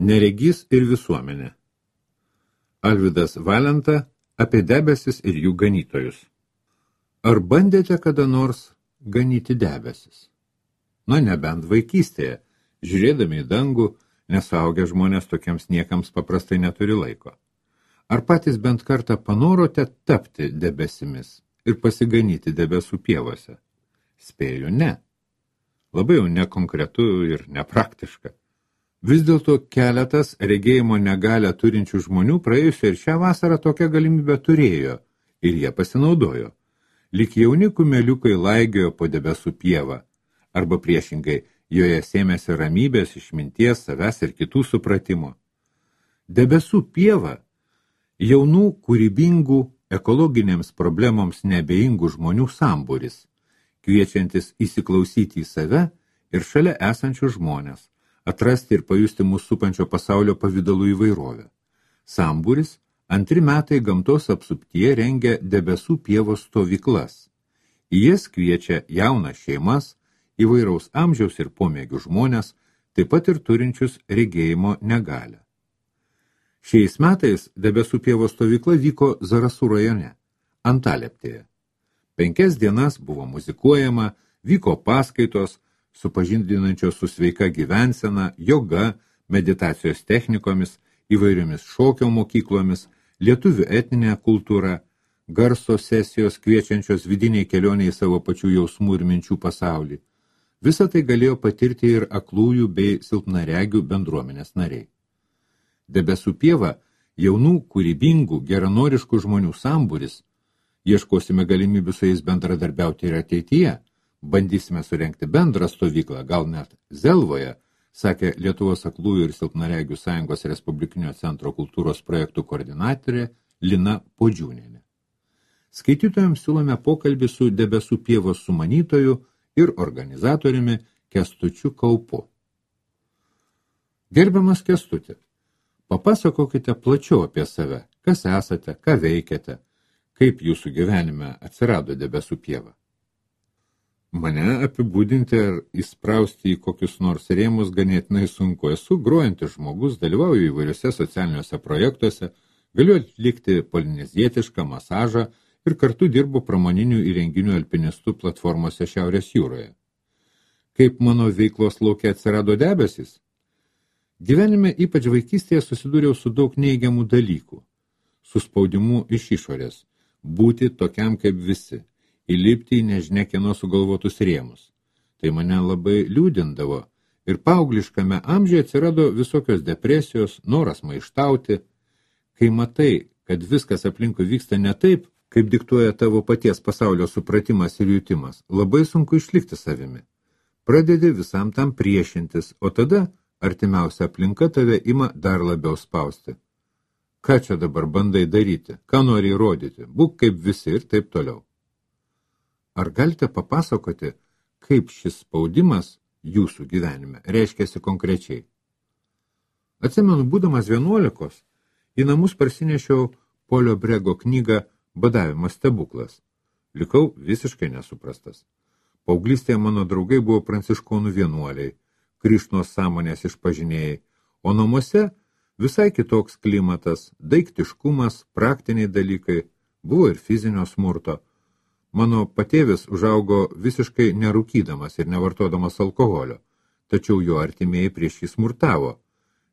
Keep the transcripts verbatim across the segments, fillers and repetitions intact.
Neregys ir visuomenė. Alvydas Valenta apie debesis ir jų ganytojus. Ar bandėte kada nors ganyti debesis? Na, nebent vaikystėje, žiūrėdami į dangų, nesuaugę žmonės tokiems niekams paprastai neturi laiko. Ar patys bent kartą panorote tapti debesimis ir pasiganyti debesų pievose? Spėju, ne. Labai jau nekonkretu ir nepraktiška. Vis dėlto keletas regėjimo negalią turinčių žmonių praėjusią ir šią vasarą tokią galimybę turėjo ir jie pasinaudojo. Lyg jauni kumeliukai laigiojo po debesų pievą, arba priešingai joje sėmėsi ramybės, išminties, savęs ir kitų supratimo. Debesų pieva jaunų, kūrybingų, ekologinėms problemoms neabejingų žmonių sambūris, kviečiantis įsiklausyti į save ir šalia esančių žmonės, atrasti ir pajusti mūsų supančio pasaulio pavydalų įvairovę. Sambūris antri metai gamtos apsuptyje rengia debesų pievos stovyklas. Į jas kviečia jaunas šeimas, įvairaus amžiaus ir pomėgių žmonės, taip pat ir turinčius regėjimo negalią. Šiais metais debesų pievos stovykla vyko Zarasų rajone, Antalieptėje. Penkias dienas buvo muzikuojama, vyko paskaitos, supažindinančios su sveika gyvensena, joga, meditacijos technikomis, įvairiomis šokio mokyklomis, lietuvių etninė kultūra, garso sesijos kviečiančios vidiniai kelioniai į savo pačių jausmų ir minčių pasaulį. Visą tai galėjo patirti ir aklųjų bei silpnaregių bendruomenės nariai. Debesų pieva jaunų, kūrybingų, geranoriškų žmonių sambūris. Ieškosime galimybių su jais bendradarbiauti ir ateityje. Bandysime surengti bendrą stovyklą, gal net Zelvoje, sakė Lietuvos aklųjų ir silpnaregių sąjungos Respublikinio centro kultūros projektų koordinatorė Lina Podžiūnienė. Skaitytojams siūlome pokalbį su debesų pievos sumanytoju ir organizatoriumi Kęstučiu Kaupu. Gerbiamas Kęstuti, papasakokite plačiau apie save, kas esate, ką veikiate, kaip jūsų gyvenime atsirado debesų pieva. Mane apibūdinti ar įsprausti į kokius nors rėmus ganėtinai sunku. Esu grojantis žmogus, dalyvauju įvairiuose socialiniuose projektuose, galiu atlikti polinezietišką masažą ir kartu dirbu pramoninių įrenginių alpinistų platformose Šiaurės jūroje. Kaip mano veiklos lauke atsirado debesis? Gyvenime, ypač vaikystėje, susidūriau su daug neigiamų dalykų. Su spaudimu iš išorės, būti tokiam kaip visi. Įlipti į nežinia kieno sugalvotus rėmus. Tai mane labai liūdindavo ir paaugliškame amžiuje atsirado visokios depresijos, noras maištauti. Kai matai, kad viskas aplinkui vyksta ne taip, kaip diktuoja tavo paties pasaulio supratimas ir jutimas, labai sunku išlikti savimi. Pradedi visam tam priešintis, o tada artimiausia aplinka tave ima dar labiau spausti. Ką čia dabar bandai daryti, ką nori įrodyti, būk kaip visi ir taip toliau. Ar galite papasakoti, kaip šis spaudimas jūsų gyvenime reiškiasi konkrečiai? Atsimenu, būdamas vienuolikos, į namus parsinešiau Polio Brego knygą Badavimo stebuklas. Likau visiškai nesuprastas. Paauglystėje mano draugai buvo pranciškonų vienuoliai, Krišnos sąmonės išpažinėjai, o namuose visai kitoks klimatas, daiktiškumas, praktiniai dalykai, buvo ir fizinio smurto. Mano patėvis užaugo visiškai nerūkydamas ir nevartodamas alkoholio, tačiau jo artimieji prieš jį smurtavo.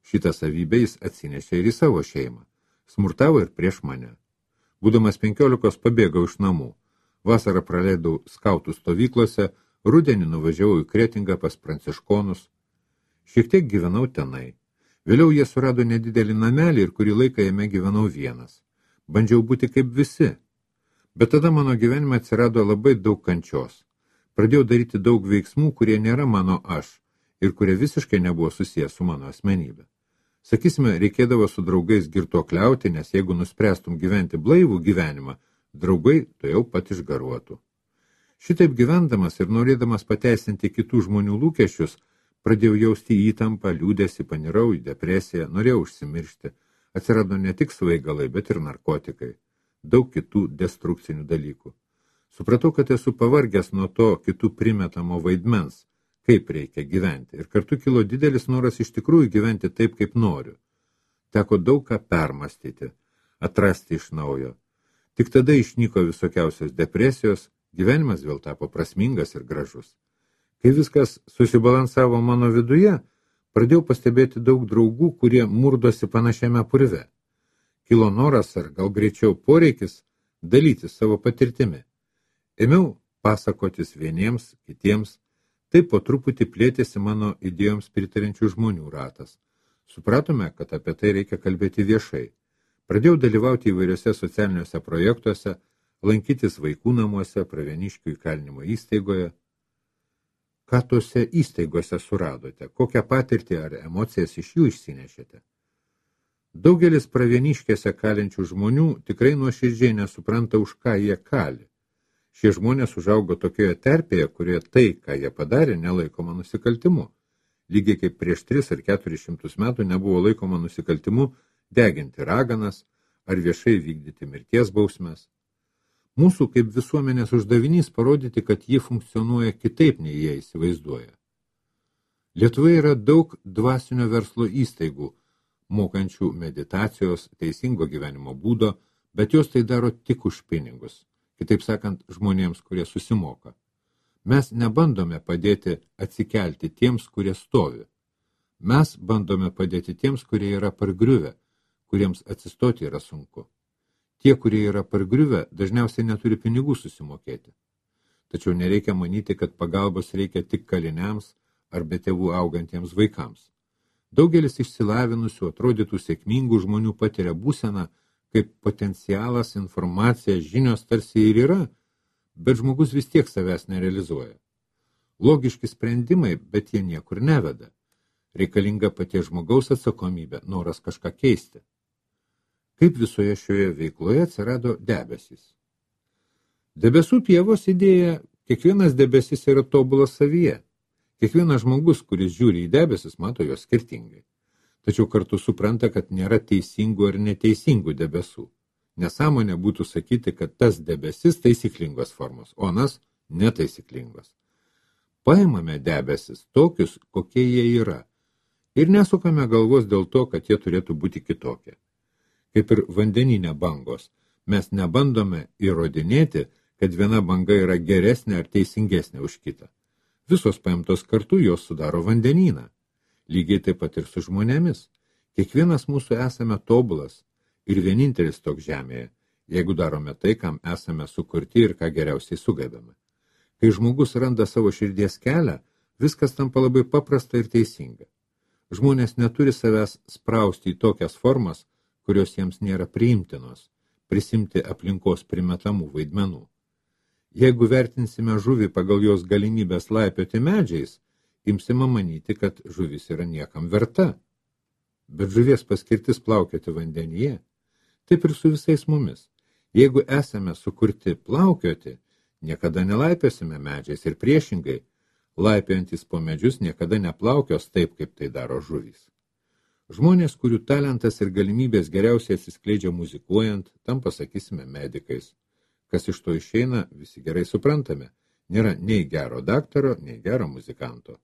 Šitą savybę jis atsinešė ir į savo šeimą. Smurtavo ir prieš mane. Būdamas penkiolikos pabėgau iš namų. Vasarą praleidau skautų stovyklose, rudenį nuvažiavau į Kretingą pas pranciškonus. Šiek tiek gyvenau tenai. Vėliau jie surado nedidelį namelį ir kurį laiką jame gyvenau vienas. Bandžiau būti kaip visi. Bet tada mano gyvenime atsirado labai daug kančios. Pradėjau daryti daug veiksmų, kurie nėra mano aš ir kurie visiškai nebuvo susijęs su mano asmenybė. Sakysime, reikėdavo su draugais girtuokliauti, nes jeigu nuspręstum gyventi blaivų gyvenimą, draugai to jau pat išgaruotų. Šitaip gyvendamas ir norėdamas pateisinti kitų žmonių lūkesčius, pradėjau jausti įtampą, liūdesį, panirau į depresiją, norėjau užsimiršti. Atsirado ne tik svaigalai, bet ir narkotikai. Daug kitų destrukcinių dalykų. Supratau, kad esu pavargęs nuo to kitų primetamo vaidmens, kaip reikia gyventi. Ir kartu kilo didelis noras iš tikrųjų gyventi taip, kaip noriu. Teko daug ką permastyti, atrasti iš naujo. Tik tada išnyko visokiausios depresijos, gyvenimas vėl tapo prasmingas ir gražus. Kai viskas susibalansavo mano viduje, pradėjau pastebėti daug draugų, kurie murdosi panašiame purve. Kilo noras ar gal greičiau poreikis dalytis savo patirtimi. Ėmiau pasakotis vieniems, kitiems, taip po truputį plėtėsi mano idėjoms pritarinčių žmonių ratas. Supratome, kad apie tai reikia kalbėti viešai. Pradėjau dalyvauti įvairiose socialiniuose projektuose, lankytis vaikų namuose, Pravieniškių įkalinimo įstaigoje. Ką tose įstaigose suradote? Kokią patirtį ar emocijas iš jų išsinešėte? Daugelis Pravieniškėse kalinčių žmonių tikrai nuoširdžiai nesupranta, už ką jie kali. Šie žmonės užaugo tokioje terpėje, kurioje tai, ką jie padarė, nelaikoma nusikaltimu. Lygiai kaip prieš tris ar keturis šimtus metų nebuvo laikoma nusikaltimu deginti raganas ar viešai vykdyti mirties bausmes. Mūsų kaip visuomenės uždavinys parodyti, kad ji funkcionuoja kitaip, nei jie įsivaizduoja. Lietuvoje yra daug dvasinio verslo įstaigų, mokančių meditacijos, teisingo gyvenimo būdo, bet jos tai daro tik už pinigus. Kitaip sakant, žmonėms, kurie susimoka. Mes nebandome padėti atsikelti tiems, kurie stovi. Mes bandome padėti tiems, kurie yra pargriuvę, kuriems atsistoti yra sunku. Tie, kurie yra pargriuvę, dažniausiai neturi pinigų susimokėti. Tačiau nereikia manyti, kad pagalbos reikia tik kaliniams ar be tėvų augantiems vaikams. Daugelis išsilavinusių, atrodytų sėkmingų žmonių patiria būseną, kaip potencialas, informacija, žinios tarsi ir yra, bet žmogus vis tiek savęs nerealizuoja. Logiški sprendimai, bet jie niekur neveda. Reikalinga paties žmogaus atsakomybė, noras kažką keisti. Kaip visoje šioje veikloje atsirado debesys. Debesų pievos idėja, kiekvienas debesis yra tobulas savyje. Kiekvienas žmogus, kuris žiūri į debesis, mato juos skirtingai. Tačiau kartu supranta, kad nėra teisingų ar neteisingų debesų. Nesąmonė būtų sakyti, kad tas debesis taisyklingos formos, o anas netaisyklingos. Paimame debesis tokius, kokie jie yra, ir nesukame galvos dėl to, kad jie turėtų būti kitokie. Kaip ir vandeninė bangos, mes nebandome įrodinėti, kad viena banga yra geresnė ar teisingesnė už kitą. Visos paimtos kartu jos sudaro vandenyną. Lygiai taip pat ir su žmonėmis. Kiekvienas mūsų esame tobulas ir vienintelis toks žemėje, jeigu darome tai, kam esame sukurti ir ką geriausiai sugebame. Kai žmogus randa savo širdies kelią, viskas tampa labai paprasta ir teisinga. Žmonės neturi savęs sprausti į tokias formas, kurios jiems nėra priimtinos, prisimti aplinkos primetamų vaidmenų. Jeigu vertinsime žuvį pagal jos galimybės laipioti medžiais, imsime manyti, kad žuvis yra niekam verta. Bet žuvies paskirtis plaukioti vandenyje, taip ir su visais mumis. Jeigu esame sukurti plaukioti, niekada nelaipiosime medžiais ir priešingai, laipiojantis po medžius niekada neplaukios taip, kaip tai daro žuvys. Žmonės, kurių talentas ir galimybės geriausiai atsiskleidžia muzikuojant, tam pasakysime medikais. Kas iš to išeina, visi gerai suprantame, nėra nei gero daktaro, nei gero muzikanto.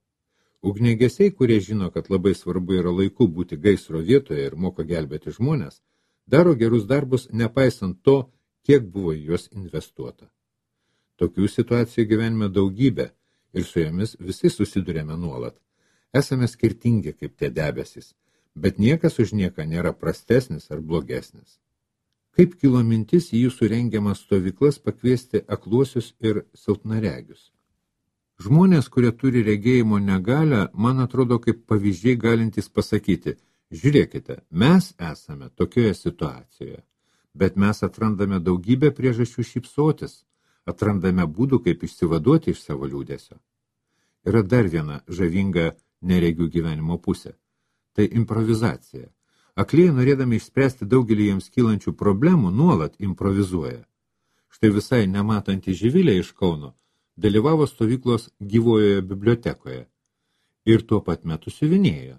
Ugniagesiai, kurie žino, kad labai svarbu yra laiku būti gaisro vietoje ir moka gelbėti žmonės, daro gerus darbus, nepaisant to, kiek buvo į juos investuota. Tokių situacijų gyvenime daugybė ir su jomis visi susidurėme nuolat. Esame skirtingi kaip tie debesys, bet niekas už nieką nėra prastesnis ar blogesnis. Kaip kilo mintis į jūsų rengiamas stovyklas pakviesti akluosius ir silpnaregius? Žmonės, kurie turi regėjimo negalią, man atrodo kaip pavyzdžiai galintys pasakyti, žiūrėkite, mes esame tokioje situacijoje, bet mes atrandame daugybę priežasčių šypsotis, atrandame būdų, kaip išsivaduoti iš savo liūdesio. Yra dar viena žavinga neregių gyvenimo pusė. Tai improvizacija. Akliai, norėdami išspręsti daugelį jiems kylančių problemų, nuolat improvizuoja. Štai visai nematanti Živilė iš Kauno dalyvavo stovyklos gyvojoje bibliotekoje ir tuo pat metu siuvinėjo.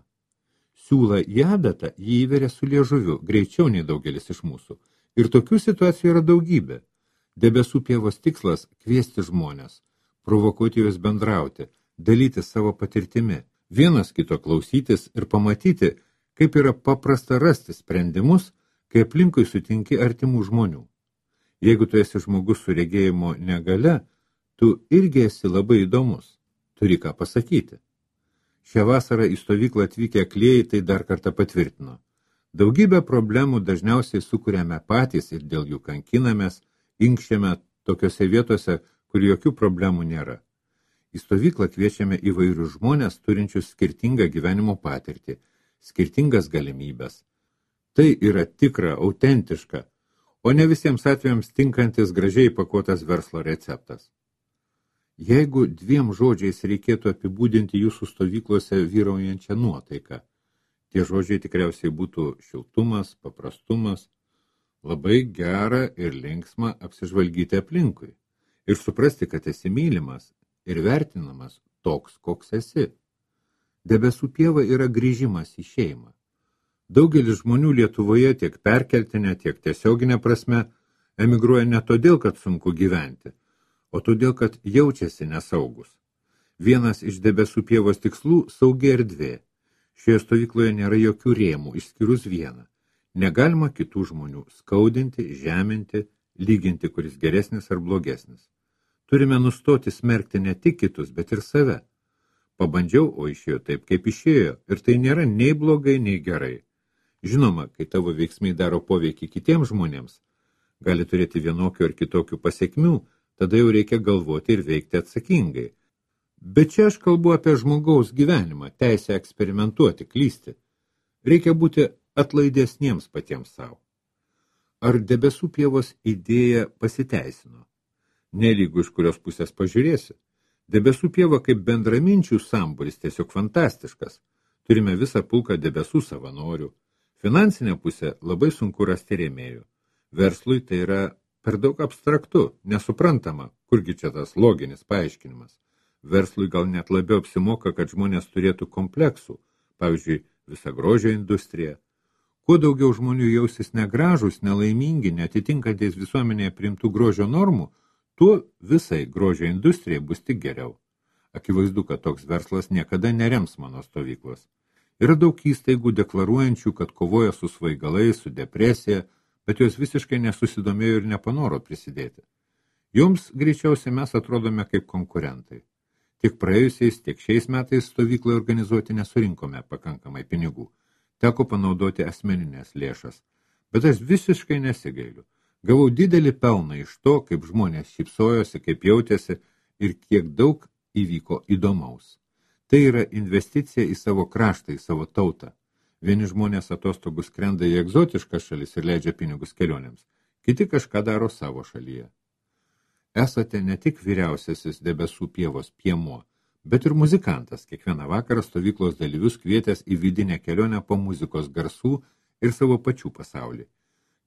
Siūlą į adatą jį įveria su liežuviu, greičiau nei daugelis iš mūsų. Ir tokių situacijų yra daugybė. Debesų pievos tikslas – kviesti žmonės, provokuoti juos bendrauti, dalyti savo patirtimi, vienas kito klausytis ir pamatyti, kaip yra paprasta rasti sprendimus, kai aplinkui sutinki artimų žmonių. Jeigu tu esi žmogus su regėjimo negale, tu irgi esi labai įdomus, turi ką pasakyti. Šią vasarą į stovyklą atvykę aklieji tai dar kartą patvirtino. Daugybę problemų dažniausiai sukuriame patys ir dėl jų kankinamės, inkščiame tokiose vietose, kur jokių problemų nėra. Į stovyklą kviečiame įvairius žmonės, turinčius skirtingą gyvenimo patirtį, skirtingas galimybes. Tai yra tikra, autentiška, o ne visiems atvejams tinkantis gražiai pakuotas verslo receptas. Jeigu dviem žodžiais reikėtų apibūdinti jūsų stovyklose vyraujančią nuotaiką, tie žodžiai tikriausiai būtų šiltumas, paprastumas, labai gera ir linksma apsižvalgyti aplinkui ir suprasti, kad esi mylimas ir vertinamas toks, koks esi. Debesų pieva yra grįžimas į šeimą. Daugelis žmonių Lietuvoje tiek perkeltinė, tiek tiesioginė prasme emigruoja ne todėl, kad sunku gyventi, o todėl, kad jaučiasi nesaugus. Vienas iš debesų pievos tikslų – saugi erdvė. Šioje stovykloje nėra jokių rėmų, išskyrus vieną. Negalima kitų žmonių skaudinti, žeminti, lyginti, kuris geresnis ar blogesnis. Turime nustoti smerkti ne tik kitus, bet ir save. Pabandžiau, o išėjo taip, kaip išėjo, ir tai nėra nei blogai, nei gerai. Žinoma, kai tavo veiksmai daro poveikį kitiems žmonėms, gali turėti vienokių ar kitokių pasiekmių, tada jau reikia galvoti ir veikti atsakingai. Bet čia aš kalbu apie žmogaus gyvenimą, teisę eksperimentuoti, klysti. Reikia būti atlaidesniems patiems savo. Ar debesų pievos idėja pasiteisino? Nelygu iš kurios pusės pažiūrėsi. Debesų pieva kaip bendraminčių sambūris tiesiog fantastiškas. Turime visą pulką debesų savanorių. Finansinė pusė labai sunku rasti rėmėjų. Verslui tai yra per daug abstraktu, nesuprantama, kurgi čia tas loginis paaiškinimas. Verslui gal net labiau apsimoka, kad žmonės turėtų kompleksų, pavyzdžiui, visa grožio industrija. Kuo daugiau žmonių jausis negražus, nelaimingi, netitinkantys visuomenėje priimtų grožio normų, tuo visai grožio industrijai bus tik geriau. Akivaizdu, kad toks verslas niekada nerems mano stovyklos. Yra daug įstaigų deklaruojančių, kad kovoja su svaigalais, su depresija, bet jos visiškai nesusidomėjo ir nepanoro prisidėti. Joms greičiausiai mes atrodome kaip konkurentai. Tiek praėjusiais, tiek šiais metais stovyklai organizuoti nesurinkome pakankamai pinigų. Teko panaudoti asmeninės lėšas. Bet aš visiškai nesigailiu. Gavau didelį pelną iš to, kaip žmonės šypsojosi, kaip jautėsi ir kiek daug įvyko įdomaus. Tai yra investicija į savo kraštą, į savo tautą. Vieni žmonės atostogų skrenda į egzotiškas šalis ir leidžia pinigus kelionėms. Kiti kažką daro savo šalyje. Esate ne tik vyriausiasis debesų pievos piemuo, bet ir muzikantas, kiekvieną vakarą stovyklos dalyvius kvietęs į vidinę kelionę po muzikos garsų ir savo pačių pasaulį.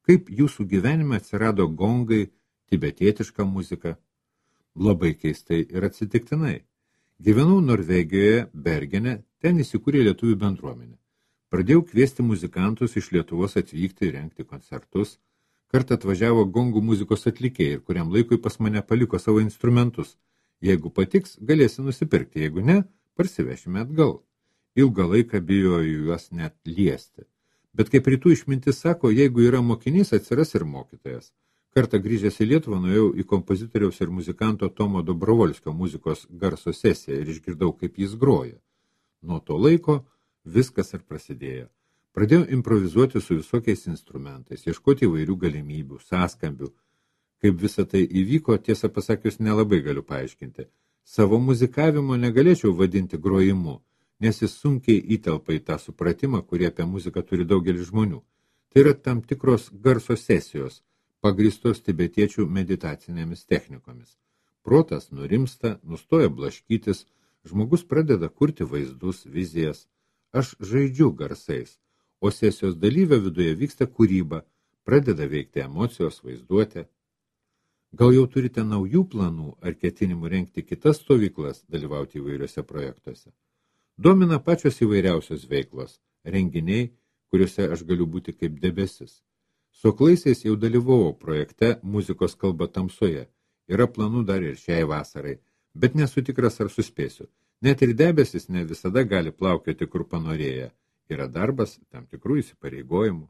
Kaip jūsų gyvenime atsirado gongai, tibetietiška muzika? Labai keistai ir atsitiktinai. Gyvenau Norvegijoje, Bergene, ten įsikūrė lietuvių bendruomenė. Pradėjau kviesti muzikantus iš Lietuvos atvykti ir rengti koncertus. Kartą atvažiavo gongų muzikos atlikėjai ir kuriam laikui pas mane paliko savo instrumentus. Jeigu patiks, galėsi nusipirkti, jeigu ne, parsivešime atgal. Ilgą laiką bijoju juos net liesti. Bet kaip rytų išmintis sako, jeigu yra mokinys, atsiras ir mokytojas. Kartą grįžęs į Lietuvą nuėjau į kompozitoriaus ir muzikanto Tomo Dobrovolskio muzikos garso sesiją ir išgirdau, kaip jis groja. Nuo to laiko viskas ir prasidėjo. Pradėjau improvizuoti su visokiais instrumentais, ieškoti įvairių galimybių, sąskambių. Kaip visa tai įvyko, tiesą pasakius, nelabai galiu paaiškinti. Savo muzikavimo negalėčiau vadinti grojimu, nes jis sunkiai įtelpa į tą supratimą, kurį apie muziką turi daugelis žmonių. Tai yra tam tikros garso sesijos, pagrįstos tibetiečių meditacinėmis technikomis. Protas nurimsta, nustoja blaškytis, žmogus pradeda kurti vaizdus, vizijas. Aš žaidžiu garsais, o sesijos dalyvio viduje vyksta kūryba, pradeda veikti emocijos, vaizduotė. Gal jau turite naujų planų ar ketinimų rengti kitas stovyklas, dalyvauti įvairiuose projektuose? Domina pačios įvairiausios veiklos, renginiai, kuriuose aš galiu būti kaip debesis. Su aklaisiais jau dalyvavau projekte Muzikos kalba tamsoje. Yra planų dar ir šiai vasarai, bet nesu tikras, ar suspėsiu. Net ir debesis ne visada gali plaukioti kur panorėję. Yra darbas, tam tikrų įsipareigojimų.